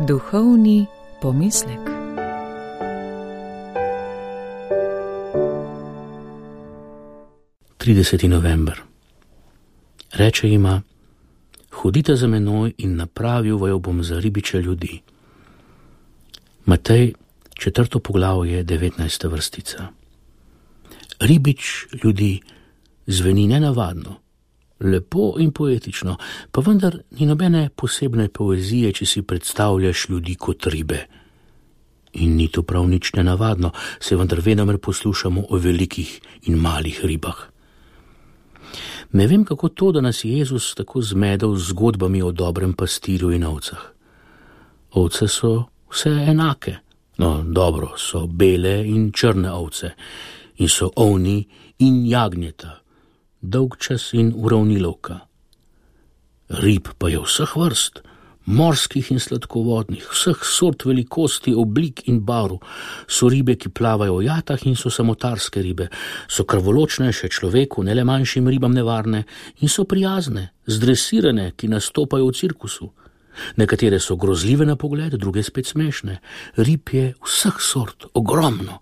Duhovni pomislek. November. Reče jima: hodite za menoj in napravil vaju bom za ribiče ljudi. Matej, 4. poglavje, 19. vrstica. Ribič ljudi zveni nenavadno, lepo in poetično, pa vendar ni nobene posebne poezije, če si predstavljaš ljudi kot ribe. In ni to prav nič nenavadno, se vendar venomer poslušamo o velikih in malih ribah. Ne vem, kako to, da nas je Jezus tako zmedel z zgodbami o dobrem pastirju in ovcah. Ovce so vse enake, no dobro, so bele in črne ovce, in so ovni in jagnjeta, dolgčas in uravnilovka. Rib pa je vseh vrst, morskih in sladkovodnih, vseh sort, velikosti, oblik in barv. So ribe, ki plavajo v jatah in so samotarske ribe, so krvoločnejše človeku, ne le manjšim ribam nevarne, in so prijazne, zdresirane, ki nastopajo v cirkusu. Nekatere so grozljive na pogled, druge spet smešne. Rib je vseh sort, ogromno,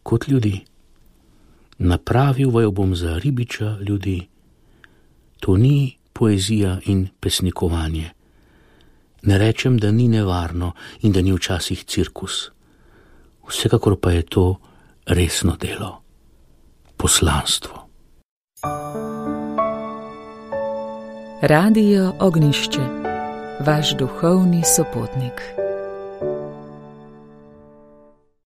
kot ljudi. Napravil vaju bom za ribiča ljudi. To ni poezija in pesnikovanje. Ne rečem, da ni nevarno in da ni včasih cirkus. Vsekakor pa je to resno delo, poslanstvo. Radio Ognjišče, vaš duhovni sopotnik.